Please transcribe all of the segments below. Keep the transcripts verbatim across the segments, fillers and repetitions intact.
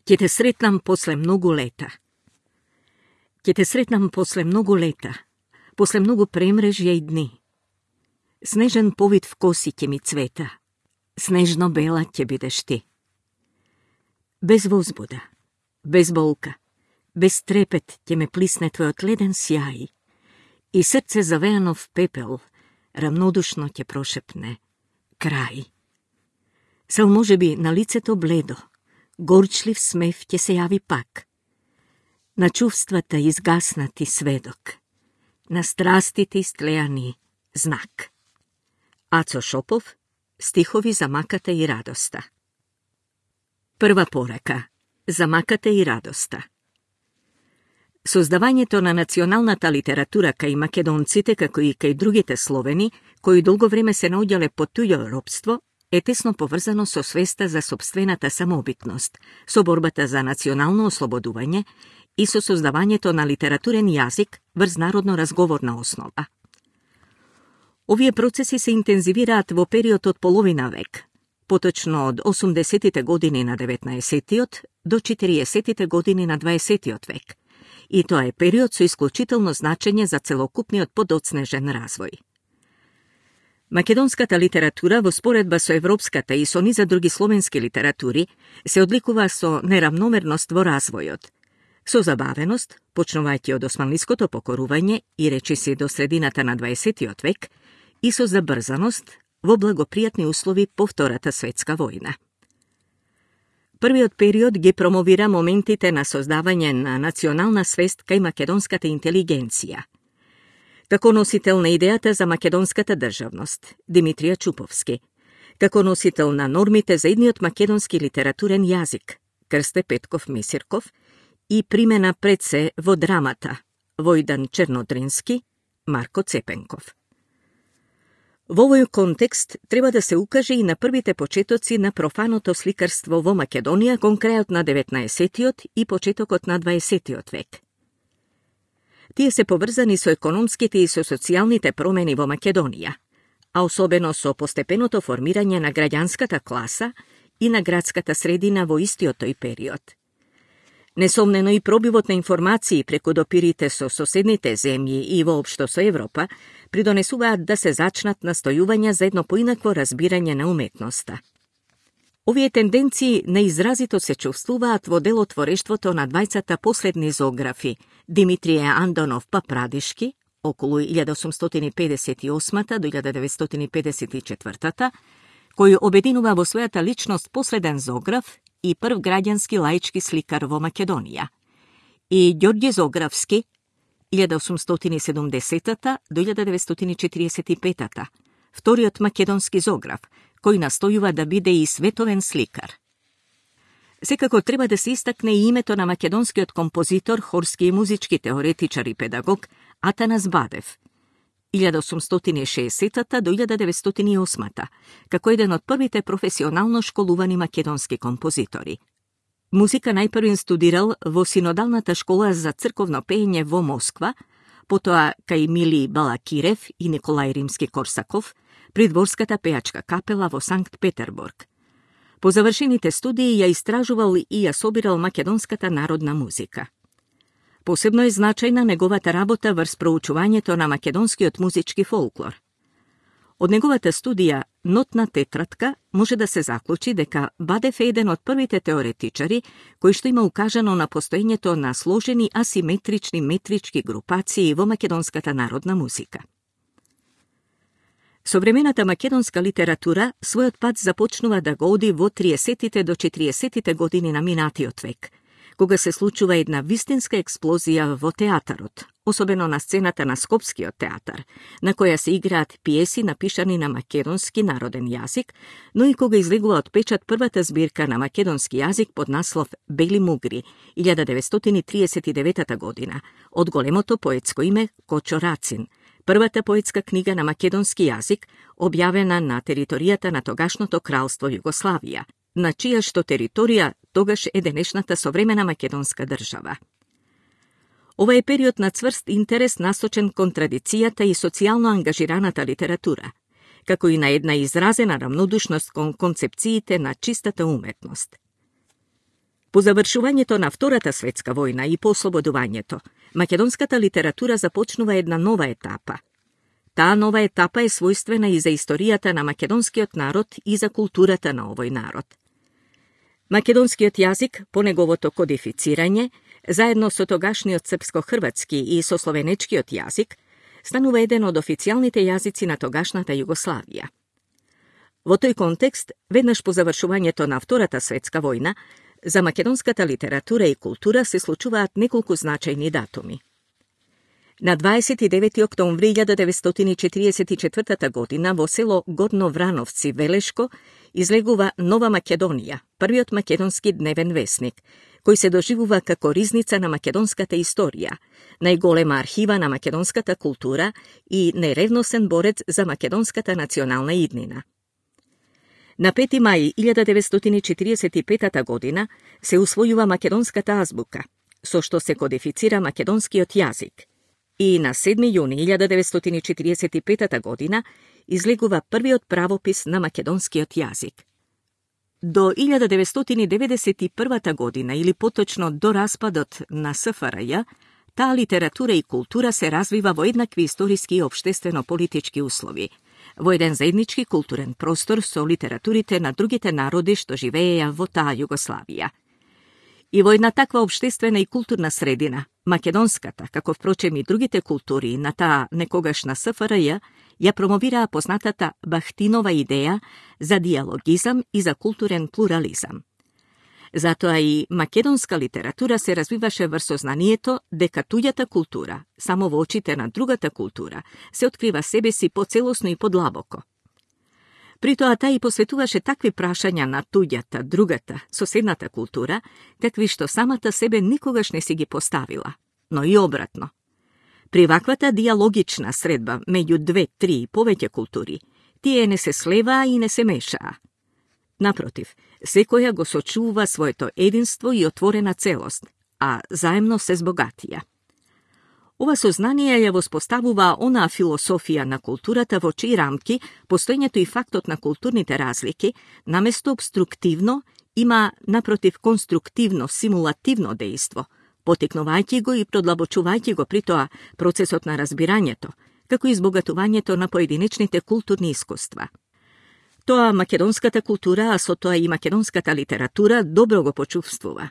Ќе те сретнам после многу лета. Ќе те сретнам после многу лета, после многу премрежја и дни. Снежен повид в коси ќе ми цвета, снежно бела ќе бидеш ти. Без возбуда, без болка, без трепет ќе ме плисне твојот леден сјај и срце завеано в пепел рамнодушно ќе прошепне крај. Сал може би на лицето бледо, горчлив смев ќе се јави пак. На чувствата изгаснати сведок, на страстите истлеани знак. Ацо Шопов, стихови за маката и радоста. Прва порака за маката и радоста. Создавањето на националната литература кај македонците, како и кај другите словени, кои долго време се наоѓале под туѓо робство, е тесно поврзано со свеста за сопствената самобитност, со борбата за национално ослободување и со создавањето на литературен јазик врз народно разговорна основа. Овие процеси се интензивираат во период од половина век, поточно од осумдесетите години на деветнаесеттиот до четириесеттите години на дваесеттиот век, и тоа е период со исклучително значење за целокупниот подоцнежен развој. Македонската литература во споредба со европската и со низа други словенски литератури се одликува со неравномерност во развојот, со забавеност, почнувајќи од османлиското покорување и речиси до средината на дваесеттиот век, и со забрзаност во благопријатни услови по Втората светска војна. Првиот период ги промовира моментите на создавање на национална свест кај македонската интелигенција. Како носител на идејата за македонската државност, Димитрија Чуповски, како носител на нормите за идниот македонски литературен јазик, Крсте Петков Месирков, и примена пред се во драмата, Војдан Чернодрински, Марко Цепенков. Во овој контекст треба да се укаже и на првите почетоци на профаното сликарство во Македонија кон крајот на деветнаесеттиот и почетокот на дваесеттиот век. Тие се поврзани со економските и со социјалните промени во Македонија, а особено со постепеното формирање на граѓанската класа и на градската средина во истиот тој период. Несомнено и пробивот на информации преку допирите со соседните земји и воопшто со Европа придонесуваат да се зачнат настојувања за едно поинакво разбирање на уметноста. Овие тенденции неизразито се чувствуваат во делотворештвото на двајцата последни зоографи Димитрije Андонов Папрадишки, околу илјада осумстотини педесет и осма до илјада деветстотини педесет и четврта, кој обединува во својата личност последен зоограф и прв граѓански лаички сликар во Македонија, и Ѓорѓе Зографски, илјада осумстотини седумдесета до илјада деветстотини четириесет и пета, вториот македонски зоограф, кој настојува да биде и световен сликар. Секако треба да се истакне и името на македонскиот композитор, хорски и музички теоретичар и педагог Атанас Бадев, илјада осумстотини шеесета до илјада деветстотини и осма, како еден од првите професионално школувани македонски композитори. Музика најпрвин студирал во Синодалната школа за црковно пеење во Москва, потоа кај Мили Балакирев и Николај Римски-Корсаков, при дворската пејачка капела во Санкт Петербург. По завршените студии ја истражувал и ја собирал македонската народна музика. Посебно е значајна неговата работа врз проучувањето на македонскиот музички фолклор. Од неговата студија «Нотна тетрадка» може да се заклучи дека Бадев е еден од првите теоретичари кои што има укажано на постоењето на сложени асиметрични метрички групации во македонската народна музика. Современата македонска литература својот пат започнува да го оди во триесеттите до четириесеттите години на минатиот век, кога се случува една вистинска експлозија во театарот, особено на сцената на Скопскиот театар, на која се играат пиеси напишани на македонски народен јазик, но и кога излегува од печат првата збирка на македонски јазик под наслов Бели мугри, илјада деветстотини триесет и девета година, од големото поетско име Кочо Рацин, првата поетска книга на македонски јазик, објавена на територијата на тогашното кралство Југославија, на чија што територија тогаш е денешната современа македонска држава. Ова е период на цврст интерес насочен кон традицијата и социјално ангажираната литература, како и на една изразена рамнодушност кон концепциите на чистата уметност. По завршувањето на Втората светска војна и по ослободувањето, македонската литература започнува една нова етапа. Таа нова етапа е својствена и за историјата на македонскиот народ и за културата на овој народ. Македонскиот јазик, по неговото кодифицирање, заедно со тогашниот српско-хрватски и со словенечкиот јазик, станува еден од официјалните јазици на тогашната Југославија. Во тој контекст, веднаш по завршувањето на Втората светска војна, за македонската литература и култура се случуваат неколку значајни датуми. На дваесет и девети октомври илјада деветстотини четириесет и четвртата година во село Горно Врановци, Велешко, излегува Нова Македонија, првиот македонски дневен весник, кој се доживува како ризница на македонската историја, најголема архива на македонската култура и најревносен борец за македонската национална иднина. На пети мај илјада деветстотини четириесет и петата година се усвојува македонската азбука, со што се кодифицира македонскиот јазик, и на седми јуни илјада деветстотини четириесет и петата година излегува првиот правопис на македонскиот јазик. До илјада деветстотини деветдесет и првата година, или поточно до распадот на С Ф Р Ј, таа литература и култура се развива во еднакви историски и општествено-политички услови, во еден заеднички културен простор со литературите на другите народи што живееја во таа Југославија. И во една таква општествена и културна средина, македонската, како впрочем и другите култури на таа некогашна С Ф Р Ј, ја промовираа познатата Бахтинова идеја за диалогизам и за културен плурализам. Затоа и македонска литература се развиваше врз сознанието дека туѓата култура, само во очите на другата култура, се открива себе си поцелосно и подлабоко. Притоа таа и посветуваше такви прашања на туѓата, другата, соседната култура, какви што самата себе никогаш не си ги поставила, но и обратно. При ваквата диалогична средба меѓу две, три и повеќе култури, тие не се слеваа и не се мешаа. Напротив, секоја го сочува своето единство и отворена целост, а заемно се збогатија. Ова сознание ја воспоставува онаа философија на културата во чии рамки постоењето и фактот на културните разлики, наместо обструктивно, има напротив конструктивно, симулативно дејство, потикнувајќи го и продлабочувајќи го при тоа процесот на разбирањето, како и избогатувањето на поединечните културни искуства. Тоа македонската култура, а со тоа и македонската литература добро го почувствува.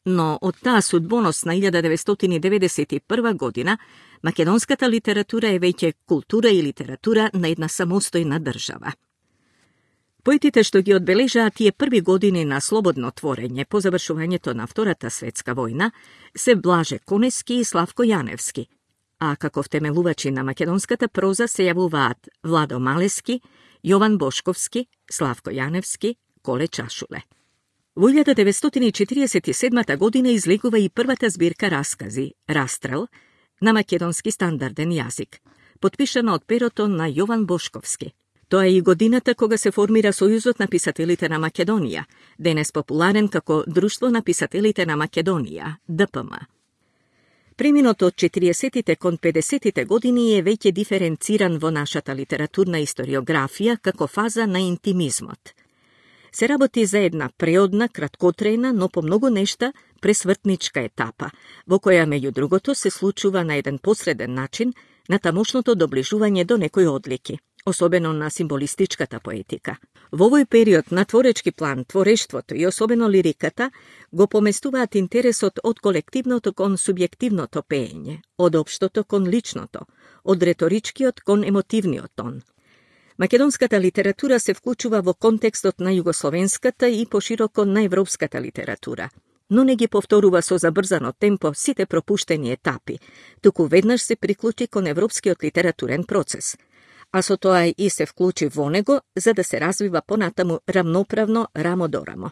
Но од таа судбоносна илјада деветстотини деветдесет и прва година, македонската литература е веќе култура и литература на една самостојна држава. Поетите што ги одбележаа тие први години на слободно творење по завршувањето на Втората светска војна се Блаже Конески и Славко Јаневски, а како втемелувачи на македонската проза се јавуваат Владо Малески, Јован Бошковски, Славко Јаневски, Коле Чашуле. Во илјада деветстотини четириесет и седмата година излегува и првата збирка раскази «Растрел» на македонски стандарден јазик, потпишана од перото на Јован Бошковски. Тоа е и годината кога се формира Сојузот на писателите на Македонија, денес популарен како Друштво на писателите на Македонија, Д П М. Преминот од четириесеттите кон педесеттите години е веќе диференциран во нашата литературна историографија како фаза на интимизмот. Се работи за една преодна, краткотрајна, но по многу нешта пресвртничка етапа, во која меѓу другото се случува на еден посреден начин на тамошното доближување до некои одлики, особено на символистичката поетика. Во овој период на творечки план, творештвото и особено лириката го поместуваат интересот од колективното кон субјективното пеење, од општото кон личното, од реторичкиот кон емотивниот тон. Македонската литература се вклучува во контекстот на југословенската и пошироко на европската литература, но не ги повторува со забрзано темпо сите пропуштени етапи, туку веднаш се приклучи кон европскиот литературен процес, а со тоа и се вклучи во него за да се развива понатаму рамноправно рамо до рамо.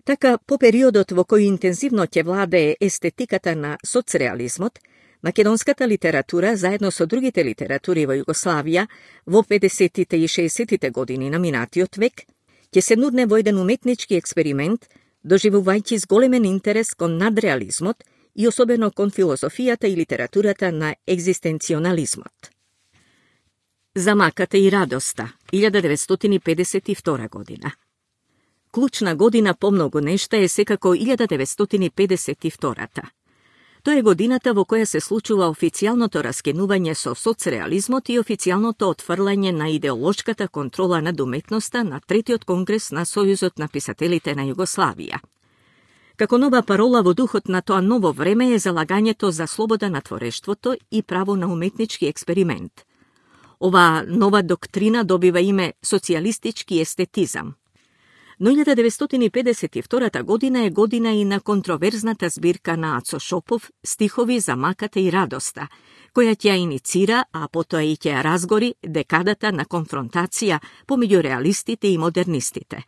Така, по периодот во кој интензивно ќе владее естетиката на соцреализмот, македонската литература, заедно со другите литератури во Југославија, во педесеттите и шеесеттите години на минатиот век, ќе се нудне во еден уметнички експеримент, доживувајќи с големен интерес кон надреализмот и особено кон философијата и литературата на екзистенционализмот. Замаката и радоста, илјада деветстотини педесет и втора година. Клучна година по многу нешта е секако илјада деветстотини педесет и втората. Тоа е годината во која се случува официјалното раскинување со соцреализмот и официјалното отфрлање на идеолошката контрола над уметноста на третиот конгрес на Сојузот на писателите на Југославија. Како нова парола во духот на тоа ново време е залагањето за слобода на творештвото и право на уметнички експеримент. Оваа нова доктрина добива име социјалистички естетизам. Но илјада деветстотини педесет и втората година е година и на контроверзната збирка на Ацо Шопов «Стихови за маката и радоста», која ќе ја иницира, а потоа и ќе ја разгори декадата на конфронтација помеѓу реалистите и модернистите.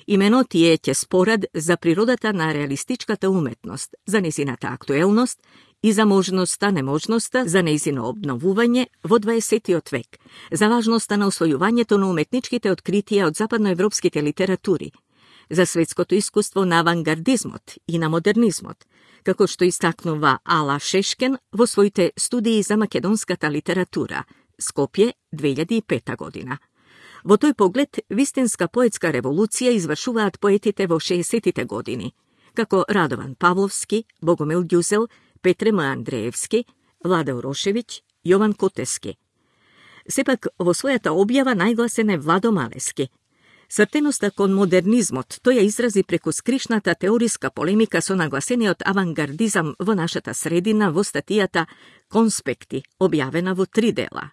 Имено тие ќе спорат за природата на реалистичката уметност, за незината актуелност и за можноста, неможноста за нејзино обновување во дваесеттиот век, за важноста на освојувањето на уметничките откритија од западноевропските литератури, за светското искуство на авангардизмот и на модернизмот, како што истакнува Ала Шешкен во своите студии за македонската литература, Скопје, две илјади и пета година. Во тој поглед, вистинска поетска револуција извршуваат поетите во шеесеттите години, како Радован Павловски, Богомил Ѓузел, Петре М. Андреевски, Владе Урошевиќ, Јован Котески. Сепак, во својата објава најгласен е Владо Малески. Свртеноста кон модернизмот тој ја изрази преку скришната теориска полемика со нагласениот авангардизам во нашата средина во статијата «Конспекти», објавена во три дела.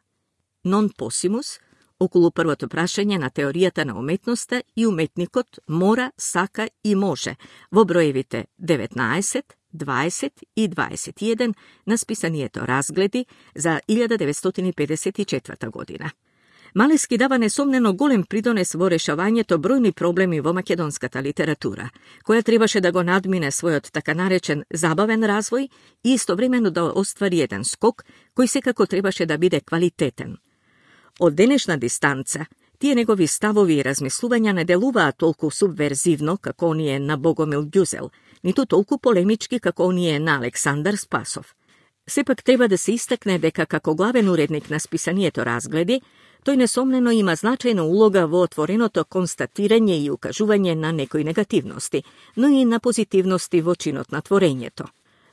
«Non possimus», околу првото прашање на теоријата на уметноста и уметникот мора, сака и може, во броевите деветнаесет, дваесет и дваесет и еден на списанието Разгледи за илјада деветстотини педесет и четврта година. Малески дава несомнено голем придонес во решавањето бројни проблеми во македонската литература, која требаше да го надмине својот така наречен забавен развој и истовремено да оствари еден скок кој секако требаше да биде квалитетен. Од денешна дистанца, тие негови ставови и размислувања не делуваат толку субверзивно како оние на Богомил Ѓузел, ниту толку полемички како оние на Александар Спасов. Сепак треба да се истакне дека како главен уредник на списанието Разгледи, тој несомнено има значајна улога во отвореното констатирање и укажување на некои негативности, но и на позитивности во чинот на творењето.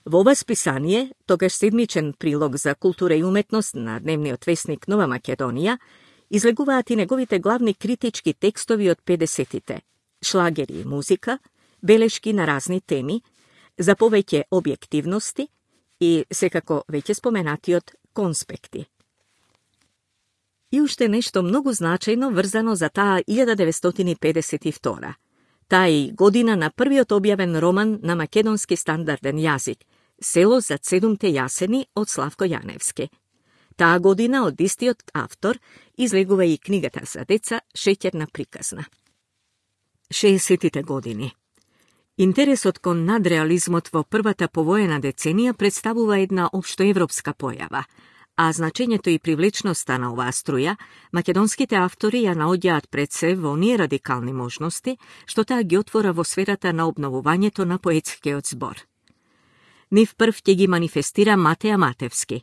Во ова списание, тогаш седмичен прилог за култура и уметност на дневниот весник Нова Македонија, излегуваат и неговите главни критички текстови од педесетите, шлагери и музика, белешки на разни теми, за повеќе објективности и, секако веќе споменатиот, конспекти. И уште нешто многу значајно врзано за таа илјада деветстотини педесет и втора. Таа е година на првиот објавен роман на македонски стандарден јазик, Село за седумте јасени од Славко Јаневски. Таа година од истиот автор излегува и книгата за деца Шеќерна приказна. шеесеттите години. Интересот кон надреализмот во првата повоена деценија представува една општоевропска појава, а значењето и привлечноста на оваа струја, македонските автори ја наоѓаат пред се во оние радикални можности, што таа ги отвора во сферата на обновувањето на поетскиот збор. Нив прв ќе ги манифестира Матеја Матевски.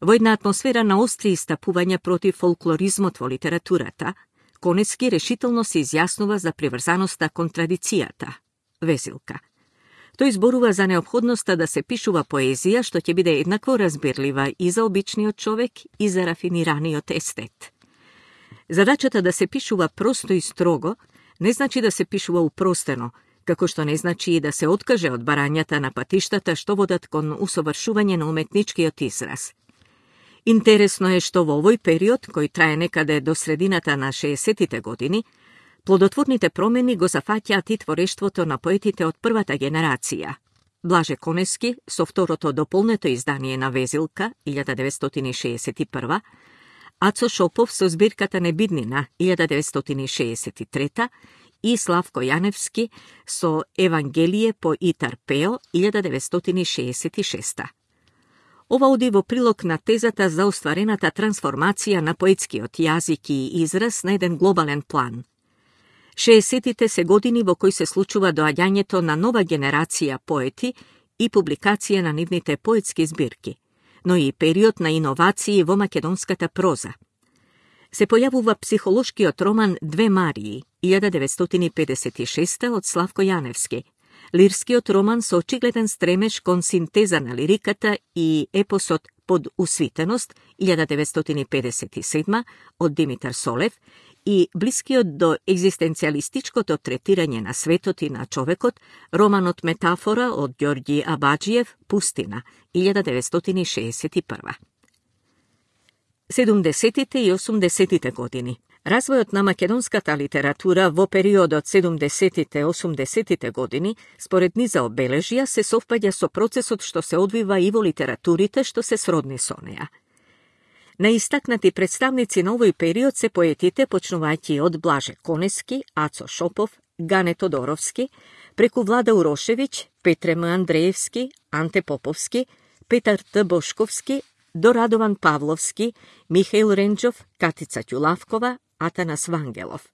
Во една атмосфера на остри истапувања против фолклоризмот во литературата, Конески решително се изјаснува за приврзаноста кон традицијата, Везилка. Тој зборува за необходноста да се пишува поезија што ќе биде еднакво разбирлива и за обичниот човек и за рафинираниот естет. Задачата да се пишува просто и строго не значи да се пишува упростено, како што не значи и да се откаже од барањата на патиштата што водат кон усовршување на уметничкиот израз. Интересно е што во овој период, кој трае некаде до средината на шеесеттите години, плодотворните промени го зафаќаат и творештвото на поетите од првата генерација. Блаже Конески со второто дополнето издание на Везилка, илјада деветстотини шеесет и прва, Ацо Шопов со збирката Небиднина, илјада деветстотини шеесет и трета, и Славко Јаневски со Евангелие по Итар Пео, илјада деветстотини шеесет и шеста. Ова оди во прилог на тезата за остварената трансформација на поетскиот јазик и израз на еден глобален план. шеесеттите се години во кои се случува доаѓањето на нова генерација поети и публикација на нивните поетски збирки, но и период на иновации во македонската проза. се појавува психолошкиот роман Две Марии, илјада деветстотини педесет и шеста од Славко Јаневски, лирскиот роман со очигледен стремеж кон синтеза на лириката и епосот Под усвитеност, илјада деветстотини педесет и седма од Димитар Солев, и блискиот до екзистенцијалистичкото третирање на светот и на човекот, романот Метафора од Ѓорѓи Абаџиев, Пустина, илјада деветстотини шеесет и прва. седумдесетите и осумдесетите години. Развојот на македонската литература во периодот седумдесетите и осумдесетите години, според низа обележја, се совпаѓа со процесот што се одвива и во литературите што се сродни со неа. Наистакнати представници на овој период се поетите, почнувајќи од Блаже Конески, Ацо Шопов, Гане Тодоровски, преку Влада Урошевиќ, Петре М. Андреевски, Анте Поповски, Петар Т. Бошковски, до Радован Павловски, Михаил Ренџов, Катица Ќулавкова, Атанас Вангелов.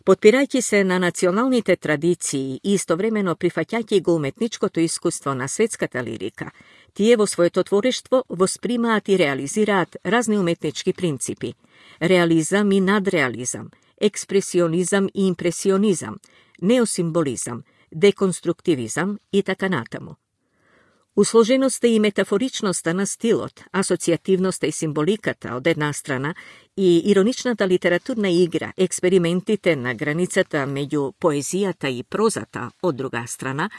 Потпирајќи се на националните традиции и истовремено прифаќајќи го уметничкото искуство на светската лирика, тие во своето творештво воспримаат и реализираат разни уметнички принципи – реализам и надреализам, експресионизам и импресионизам, неосимволизам, деконструктивизам и така натаму. Усложеноста и метафоричноста на стилот, асоцијативноста и символиката од една страна и ироничната литературна игра, експериментите на границата меѓу поезијата и прозата од друга страна,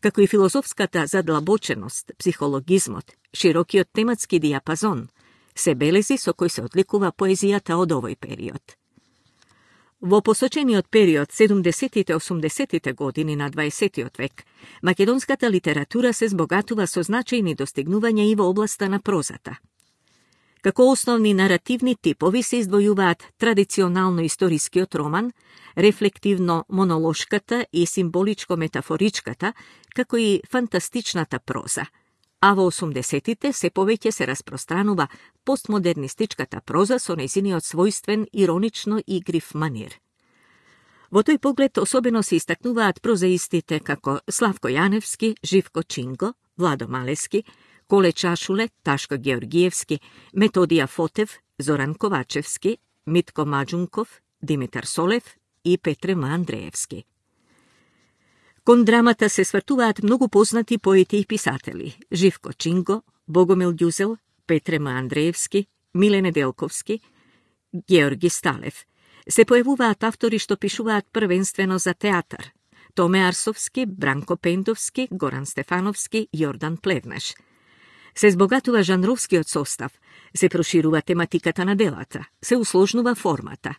како и филозофската задлабоченост, психологизмот, широкиот тематски диапазон, се белези со кои се одликува поезијата од овој период. Во посочениот период седумдесетите и осумдесетите години на дваесеттиот век, македонската литература се збогатува со значајни достигнувања и во областа на прозата. Како основни наративни типови се издвојуваат традиционално историскиот роман, рефлективно монолошката и символичко-метафоричката, како и фантастичната проза, а во осумдесетите се повеќе се распространува постмодернистичката проза со нејзиниот својствен иронично игрив манир. Во тој поглед особено се истакнуваат прозаистите како Славко Јаневски, Живко Чинго, Владо Малески, Коле Чашуле, Ташко Георгиевски, Методија Фотев, Зоран Ковачевски, Митко Маџунков, Димитар Солев и Петре М. Андреевски. Кон драмата се свртуваат многу познати поети и писатели – Живко Чинго, Богомил Ѓузел, Петре М. Андреевски, Миле Неделковски, Георги Сталев. Се појавуваат автори што пишуваат првенствено за театар – Томе Арсовски, Бранко Пендовски, Горан Стефановски, Јордан Плевнеш. Се збогатува жанровскиот состав, се проширува тематиката на делата, се усложнува формата.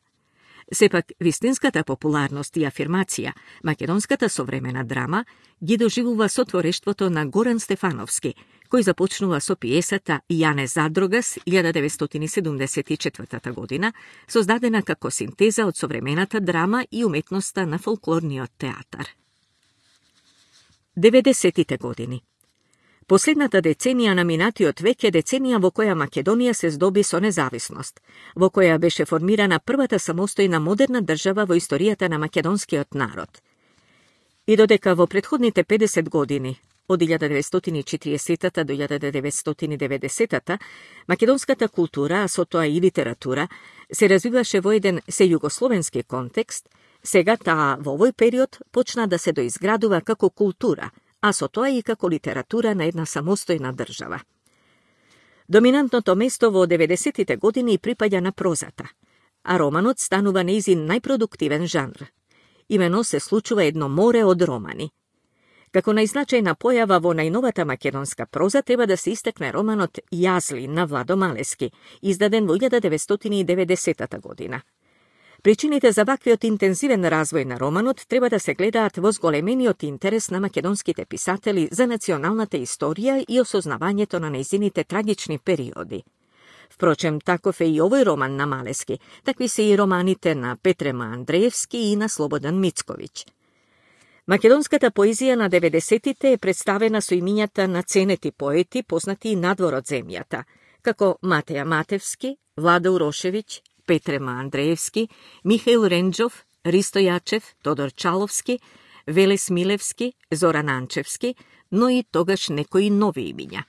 Сепак, вистинската популарност и афирмација, македонската современа драма, ги доживува со творештвото на Горан Стефановски, кој започнува со пиесата Јане Задрогас, илјада деветстотини седумдесет и четвртата година, создадена како синтеза од современата драма и уметноста на фолклорниот театар. деветдесетите години. Последната деценија на минатиот век е деценија во која Македонија се здоби со независност, во која беше формирана првата самостојна модерна држава во историјата на македонскиот народ. И додека во претходните педесет години, од илјада деветстотини и четиридесетата до илјада деветстотини и деветдесетата, македонската култура, а со тоа и литература, се развиваше во еден сејугословенски контекст, сега таа во овој период почна да се доизградува како култура, а со тоа и како литература на една самостојна држава. Доминантното место во деветдесетите години припаѓа на прозата, а романот станува нејзин најпродуктивен жанр. Имено се случува едно море од романи. Како најзначајна појава во најновата македонска проза треба да се истакне романот Јазли на Владо Малески, издаден во илјада деветстотини и деветдесетата година. Причините за ваквиот интензивен развој на романот треба да се гледаат во зголемениот интерес на македонските писатели за националната историја и осознавањето на нејзините трагични периоди. Впрочем, таков е и овој роман на Малески, такви се и романите на Петре М. Андреевски и на Слободан Мицковиќ. Македонската поезија на деветдесетите е представена со имињата на ценети поети, познати и надвор од земјата, како Матеја Матевски, Влада Урошевиќ, Петре М. Андреевски, Михаил Ренџов, Ристо Јачев, Тодор Чаловски, Велес Милевски, Зоран Анчевски, но и тогаш некои нови имиња.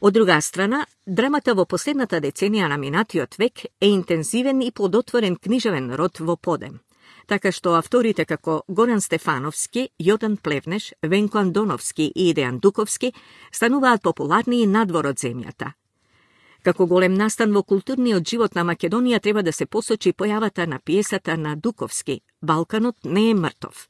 Од друга страна, драмата во последната деценија на минатиот век е интензивен и плодотворен книжевен род во подем, така што авторите како Горан Стефановски, Јодан Плевнеш, Венко Андоновски и Дејан Дуковски стануваат популарни и надвор од земјата. Како голем настан во културниот живот на Македонија треба да се посочи појавата на пиесата на Дуковски «Балканот не е мртов».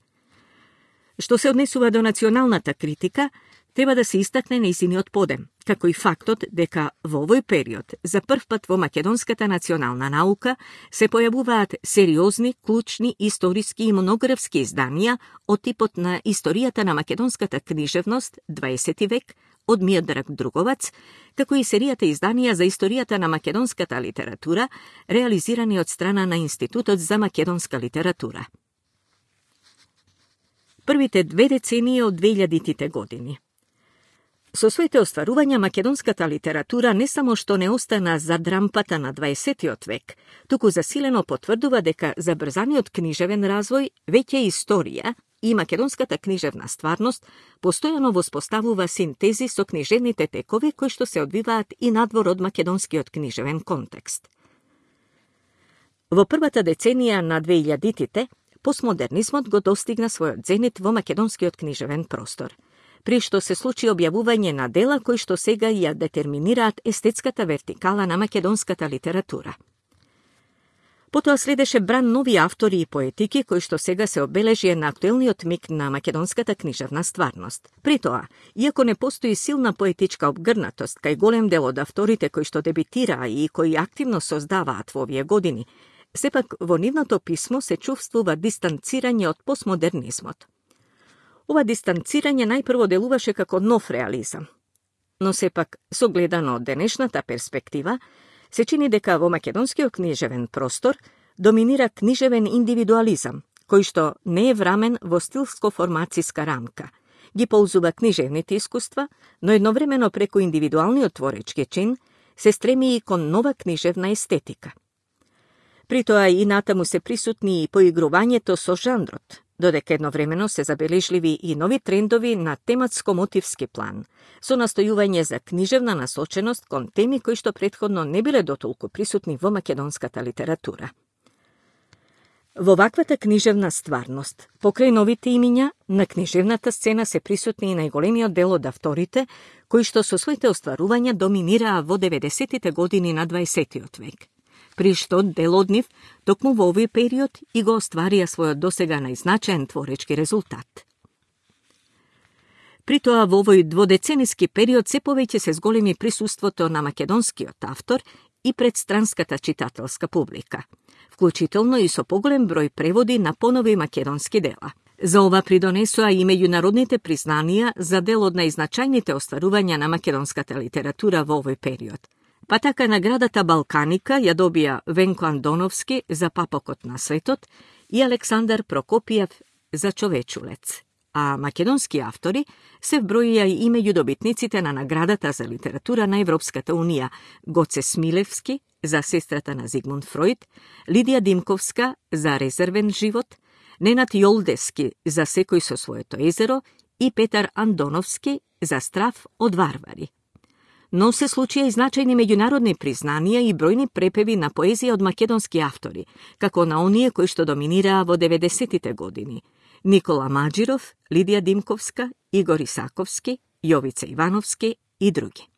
Што се однесува до националната критика, треба да се истакне нејзиниот подем, како и фактот дека во овој период за прв пат во македонската национална наука се појавуваат сериозни, клучни, историски и монографски изданија од типот на Историјата на македонската книжевност, дваесети век, од Миодраг Друговац, како и серијата изданија за историјата на македонската литература, реализирани од страна на Институтот за македонска литература. Првите две децении од двеилјадитите години. Со своите остварувања македонската литература не само што не остана зад рампата на дваесетиот век, туку засилено потврдува дека забрзаниот книжевен развој веќе е историја и македонската книжевна стварност постојано воспоставува синтези со книжевните текови кои што се одвиваат и надвор од македонскиот книжевен контекст. Во првата деценија на двеилјадитите, постмодернизмот го достигна својот зенит во македонскиот книжевен простор, при што се случи објавување на дела кои што сега ја детерминираат естетската вертикала на македонската литература. Потоа следеше бран нови автори и поетики кои што сега се обележија на актуелниот миг на македонската книжевна стварност. При тоа, иако не постои силна поетичка обгрнатост кај голем дел од авторите кои што дебитираа и кои активно создаваат во овие години, сепак во нивното писмо се чувствува дистанцирање од постмодернизмот. Ова дистанцирање најпрво делуваше како нов реализам, но сепак, согледано од денешната перспектива, се чини дека во македонскиот книжевен простор доминира книжевен индивидуализам, кој што не е врамен во стилско-формацијска рамка. Ги ползува книжевните искуства, но едновремено преку индивидуалниот творечки чин се стреми и кон нова книжевна естетика. При тоа и натаму се присутни и поигрувањето со жанрот, додека едновремено се забележливи и нови трендови на тематско-мотивски план, со настојување за книжевна насоченост кон теми кои што претходно не биле дотолку присутни во македонската литература. Во ваквата книжевна стварност, покрај новите имиња, на книжевната сцена се присутни и најголемиот дел од авторите, кои што со своите остварувања доминираа во деветдесетите години на дваесетиот век, при што дел од нив токму во овој период и го остварија својот досега најзначаен творечки резултат. При тоа во овој дводецениски период се повеќе се зголеми присуството на македонскиот автор и пред странската читателска публика, вклучително и со поголем број преводи на понови македонски дела. За ова придонесоа и меѓународните признанија за дел од најзначајните остварувања на македонската литература во овој период. Па така наградата Балканика ја добија Венко Андоновски за Папокот на светот и Александар Прокопиев за Човечулец, а македонски автори се вброија и меѓу добитниците на наградата за литература на Европската унија Гоце Смилевски за Сестрата на Зигмунд Фројд, Лидија Димковска за Резервен живот, Ненад Јолдески за Секој со своето езеро и Петар Андоновски за Страв од варвари. Но се случија и значајни меѓународни признанија и бројни препеви на поезија од македонски автори, како на оние кои што доминираа во деветдесетите години. Никола Маџиров, Лидија Димковска, Игор Исаковски, Јовица Ивановски и други.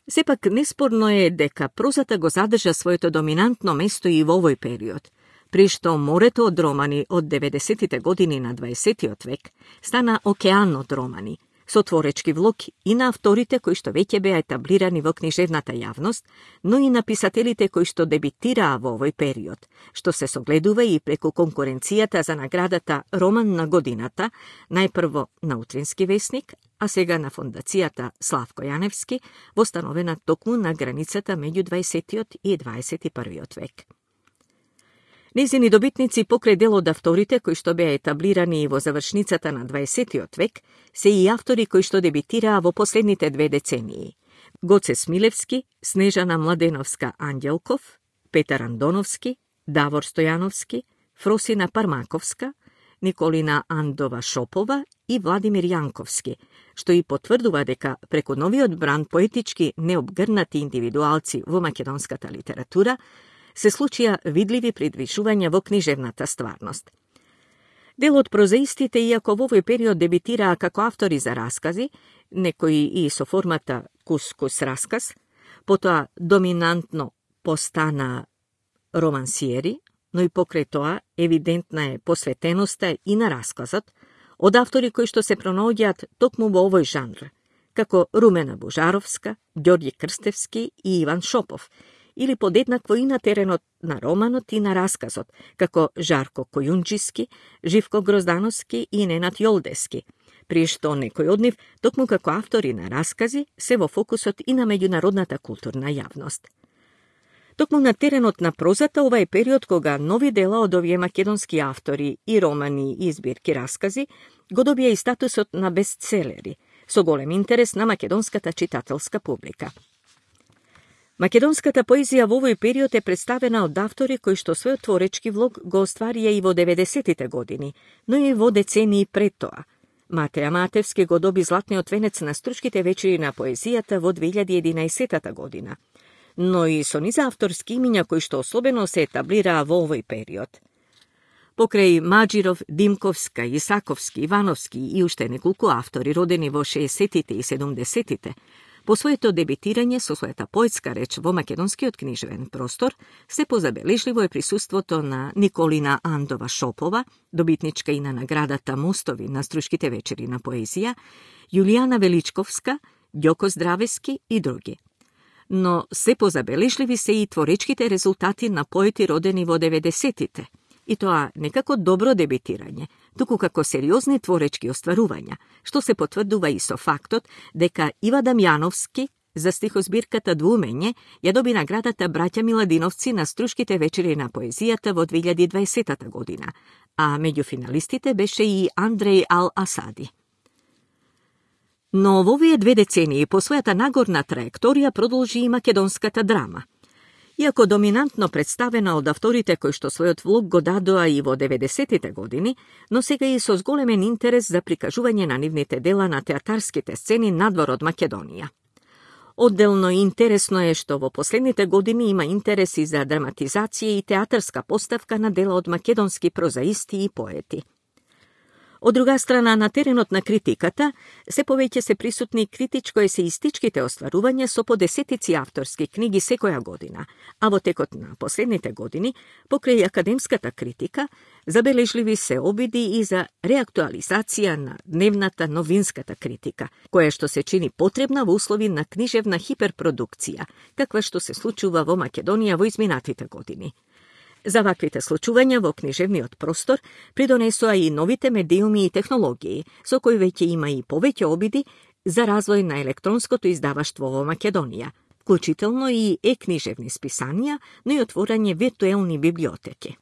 Сепак неспорно е дека прозата го задржа своето доминантно место и во овој период, при што морето од романи од деветдесетите години на дваесетиот век стана океан од романи, со творечки влог и на авторите кои што веќе беа етаблирани во книжевната јавност, но и на писателите кои што дебитираа во овој период, што се согледува и преку конкуренцијата за наградата Роман на годината, најпрво на Утрински весник, а сега на фондацијата Славко Јаневски, востановена токму на границата меѓу дваесетиот и дваесет и првиот век. Незини добитници покрај дел од авторите кои што беа етаблирани и во завршницата на дваесетиот век се и автори кои што дебитираа во последните две децении. Гоце Смилевски, Снежана Младеновска Ангелков, Петар Андоновски, Давор Стојановски, Фросина Пармаковска, Николина Андова Шопова и Владимир Јанковски, што и потврдува дека преку новиот бранд поетички необгрнати индивидуалци во македонската литература се случија видливи придвижувања во книжевната стварност. Дел од прозаистите, иако во овој период дебитираа како автори за раскази, некои и со формата кус-кус расказ, потоа доминантно постанаа романсиери, но и покрај тоа евидентна е посветеноста и на расказот од автори кои што се пронаоѓаат токму во овој жанр, како Румена Божаровска, Ѓорѓе Крстевски и Иван Шопов, или подеднакво и на теренот на романот и на расказот, како Жарко Којунџиски, Живко Гроздановски и Ненад Јолдески, при што некој од нив, токму како автори на раскази, се во фокусот и на меѓународната културна јавност. Токму на теренот на прозата, ова е период кога нови дела од овие македонски автори и романи и збирки раскази го добија и статусот на бестселери, со голем интерес на македонската читателска публика. Македонската поезија во овој период е представена од автори кои што својот творечки влог го остварија и во деветдесетите години, но и во децении пред тоа. Матеја Матевски го доби златниот венец на Стручките вечери на поезијата во две илјади и единаесетта година, но и со низа авторски имиња кои што особено се етаблираа во овој период. Покрај Маџиров, Димковска, Исаковски, Ивановски и уште неколку автори родени во шеесеттите и седумдесеттите, по своето дебитирање со својата поетска реч во македонскиот книжевен простор, се позабележливо е присуството на Николина Андова Шопова, добитничка и на наградата Мостови на Стручките вечери на поезија, Јулијана Величковска, Ѓоко Здравески и други. Но се позабележливи се и творечките резултати на поети родени во деветдесеттите, и тоа не како добро дебитирање, туку како сериозни творечки остварувања, што се потврдува и со фактот дека Ива Дамјановски за стихозбирката Двумење ја доби наградата Браќа Миладиновци на Стручките вечери на поезијата во две илјади и дваесетта година, а меѓу финалистите беше и Андреј Ал-Асади. Но во овие две децении по својата нагорна траекторија продолжи и македонската драма. Иако доминантно представена од авторите кои што својот влог го дадоа и во деветдесеттите години, но сега и со зголемен интерес за прикажување на нивните дела на театарските сцени надвор од Македонија. Одделно интересно е што во последните години има интерес и за драматизација и театарска поставка на дела од македонски прозаисти и поети. Од друга страна, на теренот на критиката, се повеќе се присутни критичко-есеистичките остварувања со по десетици авторски книги секоја година, а во текот на последните години, покрај академската критика, забележливи се обиди и за реактуализација на дневната новинската критика, која што се чини потребна во услови на книжевна хиперпродукција, каква што се случува во Македонија во изминатите години. За ваквите случувања во книжевниот простор придонесоа и новите медиуми и технологии, со кои веќе има и повеќе обиди за развој на електронското издаваштво во Македонија, вклучително и е-книжевни списанија, но и отворање виртуелни библиотеки.